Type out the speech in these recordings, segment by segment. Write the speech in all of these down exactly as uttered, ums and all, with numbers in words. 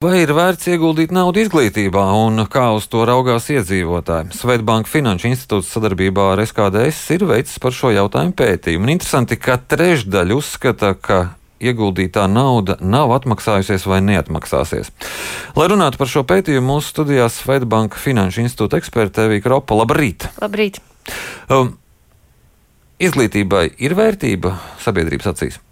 Vai ir vērts ieguldīt naudu izglītībā un kā uz to raugās iedzīvotāji? Swedbank Finanšu institūts sadarbībā ar S K D S ir veicis par šo jautājumu pētījumu. Un interesanti, ka trešdaļa uzskata, ka ieguldītā nauda nav atmaksājusies vai neatmaksāsies. Lai runātu par šo pētījumu, mūsu studijā Swedbank Finanšu institūta eksperte Evija Kropa. Labrīt! Labrīt! Um, izglītībai ir vērtība sabiedrības acīs?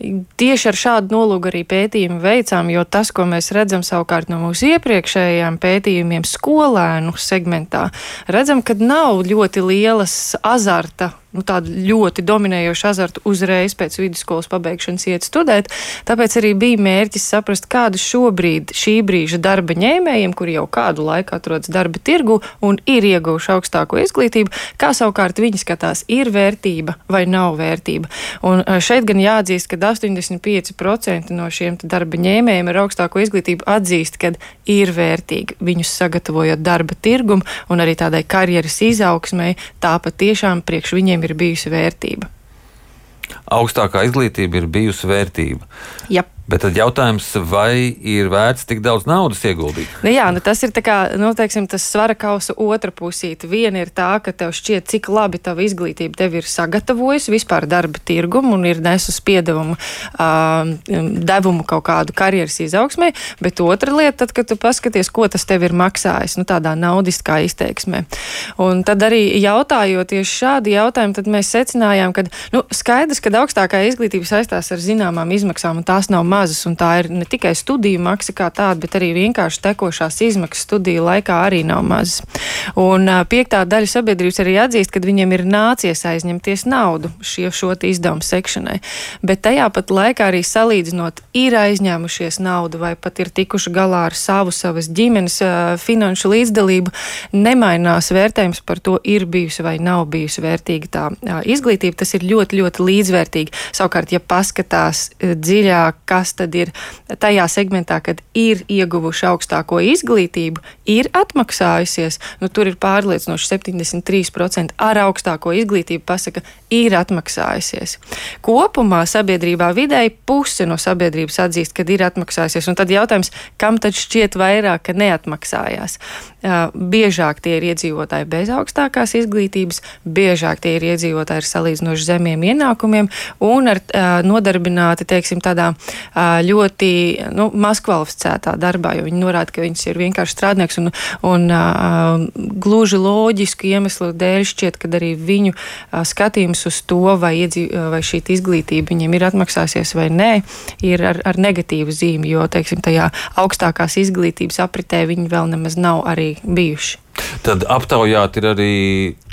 Tieši ar šādu nolūku arī pētījumu veicām, jo tas, ko mēs redzam savukārt no mūsu iepriekšējām pētījumiem skolēnu segmentā, redzam, ka nav ļoti lielas azarta, nu tāda ļoti dominējoša azarta uzreiz pēc vidusskolas pabeigšanas iet studēt, tāpēc arī bija mērķis saprast, kādu šobrīd šī brīža darba ņēmējiem, kuri jau kādu laiku atrodas darba tirgu un ir ieguvuši augstāko izglītību, kā savukārt viņi skatās, ir vērtība vai nav vērtība. Un šeit gan jāatzīst, ka astoņdesmit pieci procenti no šiem darba ņēmējiem ar augstāko izglītību atzīst, ka ir vērtīgi viņus sagatavojot darba tirgumu un arī tādai karjeras izaugsmai, tā patiešām priekš viņiem ir bijusi vērtība. Augstākā izglītība ir bijusi vērtība. Jā. Bet tad jautājums, vai ir vērts tik daudz naudas ieguldīt? Nu jā, nu tas ir tā kā, nu teiksim, tas svara kausa otra pusīte. Viena ir tā, ka tev šķiet, cik labi tava izglītība tevi ir sagatavojusi vispār darba tirgumu un ir nesus piedevumu, uh, devumu kaut kādu karjeras izaugsmē, bet otra lieta, tad, kad tu paskaties, ko tas tev ir maksājis, nu tādā naudiskā izteiksmē. Un tad arī jautājot tieši šādi jautājumi, tad mēs secinājām, ka, nu skaidrs, ka augstākā izglītība saistās ar zināmām izmaksām un tās nav mazas, un tā ir ne tikai studiju maksa kā tāda, bet arī vienkārši tekošās izmaksas studiju laikā arī nav mazas. Un piektā daļa sabiedrības arī atzīst, ka viņiem ir nācies aizņemties naudu šie, šo izdevumu sekšanai. Bet tajā pat laikā arī salīdzinot, ir aizņēmušies naudu vai pat ir tikuši galā ar savu, savas ģimenes finanšu līdzdalību, nemainās vērtējums par to, ir bijusi vai nav bijusi vērtīga tā izglītība. Tas ir ļoti, ļoti līdzvērtīgi. Savukārt, ja paskatās dziļāk, kas tad ir tajā segmentā, kad ir ieguvuši augstāko izglītību, ir atmaksājusies, nu tur ir pārliecinoši septiņdesmit trīs procenti ar augstāko izglītību pasaka, ir atmaksājusies. Kopumā sabiedrībā vidēji puse no sabiedrības atzīst, kad ir atmaksājusies, un tad jautājums, kam tad šķiet vairāk, ka neatmaksājās? Uh, biežāk tie ir iedzīvotāji bez augstākās izglītības, biežāk tie ir iedzīvotāji ar salīdzinoši zemiem ienākumiem un ar uh, nodarbināti, teiksim, tādā ļoti nu, mazkvalificētā darbā, jo viņi norāda, ka viņas ir vienkārši strādnieks un, un uh, gluži loģisku iemeslu dēļ šķiet, ka arī viņu uh, skatījums uz to, vai, iedzīv, vai šī izglītība viņiem ir atmaksāsies vai nē, ir ar, ar negatīvu zīmi, jo, teiksim, tajā augstākās izglītības apritē viņi vēl nemaz nav arī bijuši. Tad aptaujāt ir arī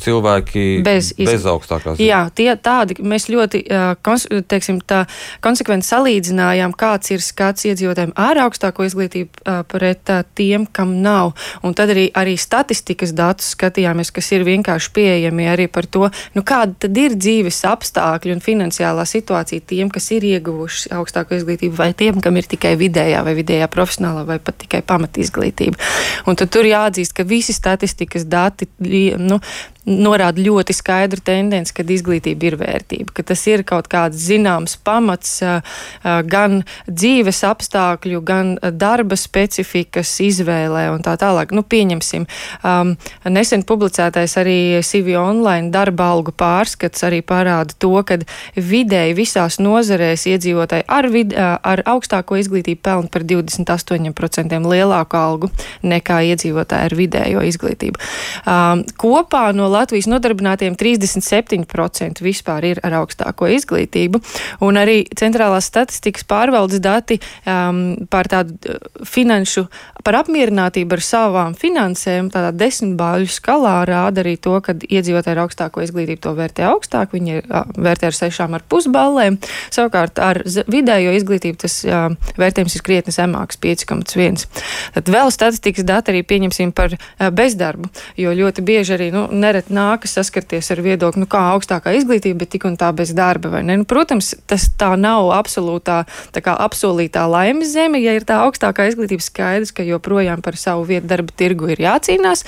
cilvēki bez, iz... bez augstākās. Jā, tie tādi, mēs ļoti, kons, teiksim, tā konsekventi salīdzinājām, kāds ir skats iedzīvotājiem ar augstāko izglītību pret tiem, kam nav. Un tad arī, arī statistikas datus skatījāmies, kas ir vienkārši pieejami arī par to, nu kāda tad ir dzīves apstākļi un finansiālā situācija tiem, kas ir ieguvuši augstāko izglītību, vai tiem, kam ir tikai vidējā vai vidējā profesionālā vai pat tikai pamatizglītība. Un tad tur jāatzīst, ka visi statistikas dati nu, norāda ļoti skaidru tendenci, ka izglītība ir vērtība, ka tas ir kaut kāds zināms pamats gan dzīves apstākļu, gan darba specifikas izvēlē un tā tālāk. Nu, pieņemsim, um, nesen publicētais arī C V Online darba algu pārskats arī parāda to, ka vidēji visās nozarēs iedzīvotāji ar, vid, ar augstāko izglītību pelna par divdesmit astoņi procenti lielāku algu nekā iedzīvotāji ar vidējo izglītību. Um, kopā no Latvijas nodarbinātiem trīsdesmit septiņi procenti vispār ir ar augstāko izglītību, un arī centrālās statistikas pārvaldes dati um, par tādu finanšu, par apmierinātību ar savām finansēm, tādā desmitbāļu skalā rāda arī to, ka iedzīvotāji ar augstāko izglītību to vērtē augstāk, viņi vērtē ar sešām ar pusballēm, savukārt ar vidējo izglītību tas jā, vērtējums ir krietni zemāks, pieci komats viens. Tad vēl statistikas dati arī pieņemsim par bezdarbu, jo ļoti bieži arī, nu, nereti bet nākas saskarties ar viedokli, nu kā augstākā izglītība, bet tik un tā bez darba, vai ne? Nu, protams, tas tā nav absolūtā, tā kā apsolītā laimes zeme, ja ir tā augstākā izglītība, skaidrs, ka joprojām par savu vietu darba tirgu ir jācīnās,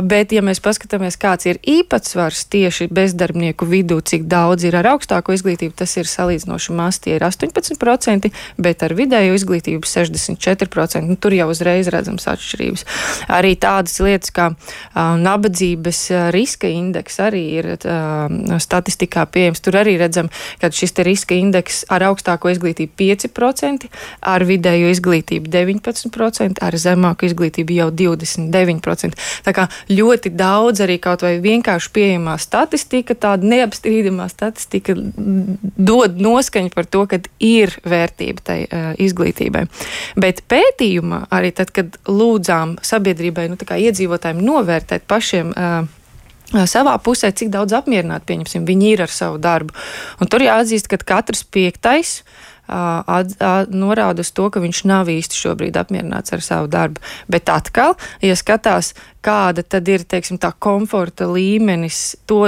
bet ja mēs paskatāmies, kāds ir īpatsvars tieši bezdarbnieku vidū, cik daudz ir ar augstāko izglītību, tas ir salīdzinoši maz, tie ir astoņpadsmit procenti, bet ar vidēju izglītību sešdesmit četri procenti. Nu, tur jau uzreiz redzams atšķirības. Arī tādas lietas, kā uh, nabadzības uh, riska indeks arī ir uh, statistikā pieejams. Tur arī redzam, ka šis te riska indeks ar augstāko izglītību pieci procenti, ar vidējo izglītību deviņpadsmit procenti, ar zemāku izglītību jau divdesmit deviņi procenti. Tā kā ļoti daudz arī kaut vai vienkārši pieejamā statistika, tāda neapstrīdamā statistika dod noskaņu par to, ka ir vērtība tai uh, izglītībai. Bet pētījumā arī tad, kad lūdzām sabiedrībai, nu tā kā iedzīvotājiem novērtēt pašiem uh, savā pusē, cik daudz apmierināti, pieņemsim, viņi ir ar savu darbu. Un tur jāatzīst, ka katrs piektais uh, at, at, norāda uz to, ka viņš nav īsti šobrīd apmierināts ar savu darbu. Bet atkal, ja skatās, kāda tad ir, teiksim, tā komforta līmenis to,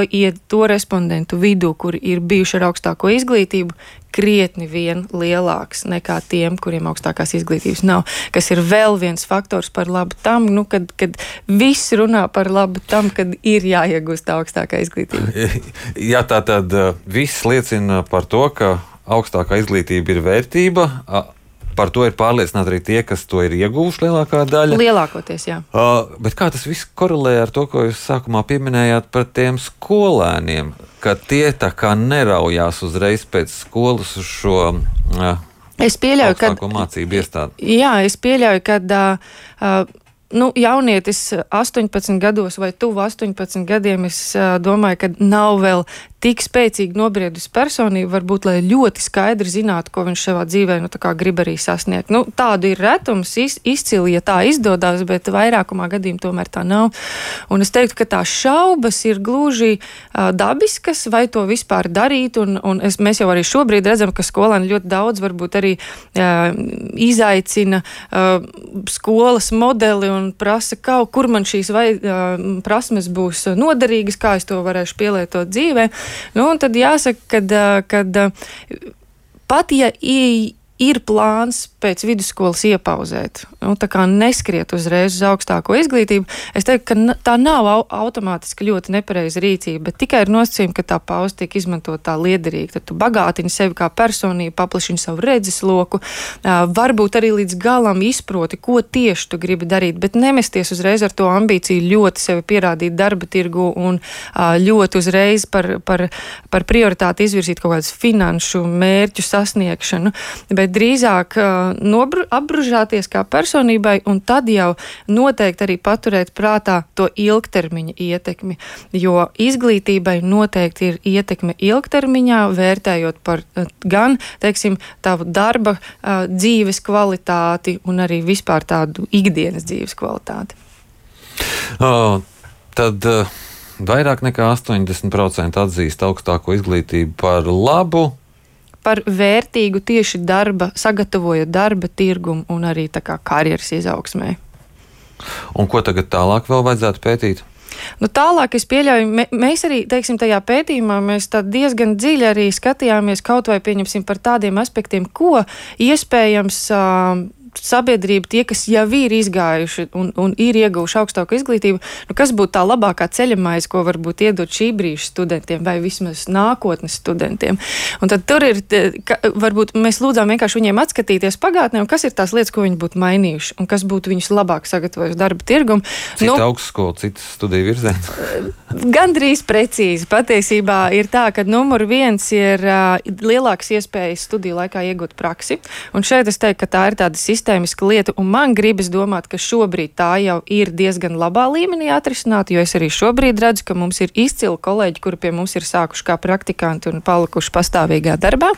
to respondentu vidū, kuri ir bijuši ar augstāko izglītību, krietni vien lielāks nekā tiem, kuriem augstākās izglītības nav, kas ir vēl viens faktors par labu tam, nu, kad, kad viss runā par labu tam, kad ir jāiegūst augstākā izglītība. Jā, tā tad viss liecina par to, ka augstākā izglītība ir vērtība. Par to ir pārliecināti arī tie, kas to ir ieguvuši lielākā daļa. Lielākoties, jā. Uh, bet kā tas viss korelē ar to, ko jūs sākumā pieminējāt par tiem skolēniem, ka tie tā kā neraujās uzreiz pēc skolas uz šo uh, es pieļauju, augstāko mācību iestādi? Jā, es pieļauju, ka uh, uh, nu, jaunietis astoņpadsmit gados vai tuvu astoņpadsmit gadiem, es uh, domāju, ka nav vēl tik spēcīgi nobriedusi personība, varbūt, lai ļoti skaidri zinātu, ko viņš savā dzīvē, nu, tā kā grib arī sasniegt. Nu, tādu ir retums, iz, izcili, ja tā izdodās, bet vairākumā gadījumā tomēr tā nav. Un es teiktu, ka tās šaubas ir gluži uh, dabiskas, vai to vispār darīt, un, un es, mēs jau arī šobrīd redzam, ka skolēni ļoti daudz varbūt arī uh, izaicina uh, skolas modeli un prasa, kā, kur man šīs vai, uh, prasmes būs noderīgas, kā es to varēšu pielietot dzīvē. Nu, un tad jāsaka, ka pat ja ir plāns pēc vidusskolas iepauzēt, nu, tā kā neskriet uzreiz uz augstāko izglītību, es teiktu, ka tā nav automātiski ļoti nepareiza rīcība, bet tikai ir nosacījumi, ka tā pauze tiek izmantot tā liederīgi. Tad tu bagātini sevi kā personību, paplašini savu redzesloku, varbūt arī līdz galam izproti, ko tieši tu gribi darīt, bet nemesties uzreiz ar to ambīciju ļoti sevi pierādīt darba tirgu un ļoti uzreiz par, par, par prioritāti izvirzīt kaut kādus finanšu mērķu sasniegšanu, bet drīzāk uh, nobru, apbružāties kā personībai un tad jau noteikti arī paturēt prātā to ilgtermiņa ietekmi, jo izglītībai noteikti ir ietekme ilgtermiņā, vērtējot par uh, gan, teiksim, tavu darba uh, dzīves kvalitāti un arī vispār tādu ikdienas dzīves kvalitāti. Oh, tad uh, vairāk nekā astoņdesmit procenti atzīst augstāko izglītību par labu, par vērtīgu tieši darba, sagatavojot darba tirgumu un arī tā kā karjeras izaugsmē. Un ko tagad tālāk vēl vajadzētu pētīt? Nu, tālāk es pieļauju, mē, mēs arī, teiksim, tajā pētījumā mēs tā diezgan dziļi arī skatījāmies kaut vai pieņemsim par tādiem aspektiem, ko iespējams uh, sabiedrība, tie, kas jau ir izgājuši un, un ir ieguvuši augstāku izglītību, nu, kas būtu tā labākā ceļamaize, ko varbūt iedot šī brīža studentiem vai vismaz nākotnes studentiem. Un tad tur ir, ka, varbūt mēs lūdzām vienkārši viņiem atskatīties pagātnē, un kas ir tās lietas, ko viņi būtu mainījuši, un kas būtu viņus labāk sagatavojuši darba tirgumu. Cita nu, augstskola, citas studiju virziens? Gandrīz precīzi. Patiesībā ir tā, ka numur viens ir uh, lielāks iespējas studiju laikā iegūt praksi, un šeit es teiktu, ka tā ir tāda sistēma, sistēmiska lieta, un man gribas domāt, ka šobrīd tā jau ir diezgan labā līmenī atrisināta, jo es arī šobrīd redzu, ka mums ir izcili kolēģi, kuri pie mums ir sākuši kā praktikanti un palikuši pastāvīgā darbā.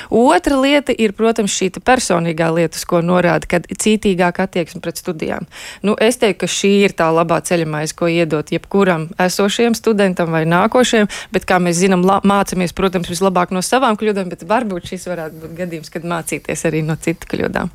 Otra lieta ir, protams, šī personīgā lieta, ko norāda, kad cītīgāk attieksme pret studijām. Nu, es teiktu, ka šī ir tā labā ceļamaize, ko iedot jebkuram esošajam studentam vai nākošajam, bet, kā mēs zinām, la- mācamies, protams, vislabāk no savām kļūdām, bet varbūt šis varētu būt gadījums, kad mācīties arī no citu kļūdām.